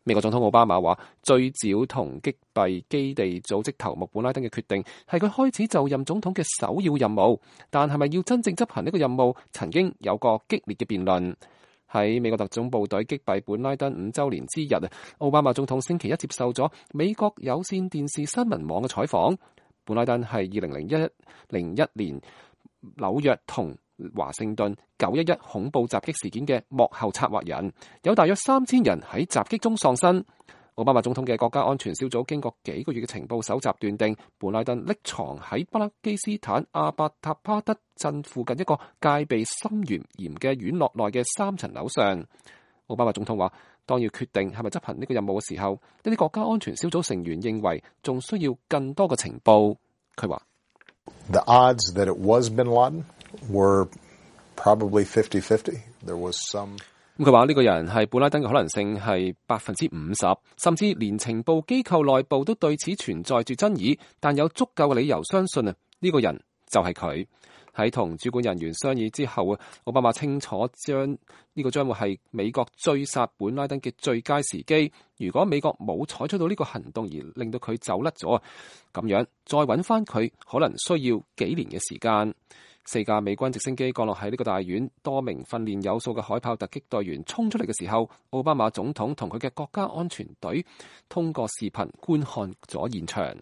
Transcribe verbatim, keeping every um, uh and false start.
美國總統奧巴馬話，追剿同擊斃基地組織頭目本拉登嘅決定係佢開始就任總統嘅首要任務，但係咪要真正執行呢個任務，曾經有過激烈嘅辯論。喺美國特種部隊擊斃本拉登五週年之日，奧巴馬總統星期一接受咗美國有線電視新聞網嘅採訪。本拉登係二零零一零一年紐約同華盛頓九一一恐怖襲擊事件嘅幕後策劃人，有大約三千人喺襲擊中喪生。奧巴馬總統嘅國家安全小組經過幾個月嘅情報搜集，斷定本拉登匿藏喺巴勒基斯坦阿伯塔巴德鎮附近一個戒備森嚴嚴嘅院落內嘅三層樓上。奧巴馬總統話，當要決定係咪執行呢個任務嘅時候，呢啲國家安全小組成員認為仲需要更多嘅情報。佢話：The odds that it was Bin Laden were probably fifty fifty. There was some. 咁佢話呢個人係本拉登嘅可能性係百分之五十，甚至連情報機構內部都對此存在住爭議，但有足夠嘅理由相信啊，呢個人就係佢。喺同主管人員商議之後啊，奧巴馬清楚將呢個將會係美國追殺本拉登嘅最佳時機。如果美國冇採取到呢個行動而令到佢走甩咗，咁樣再揾翻佢可能需要幾年嘅時間。四架美軍直升機降落喺呢個大院，多名訓練有素嘅海豹突擊隊員衝出嚟嘅時候，奧巴馬總統同佢嘅國家安全隊通過視頻觀看咗現場。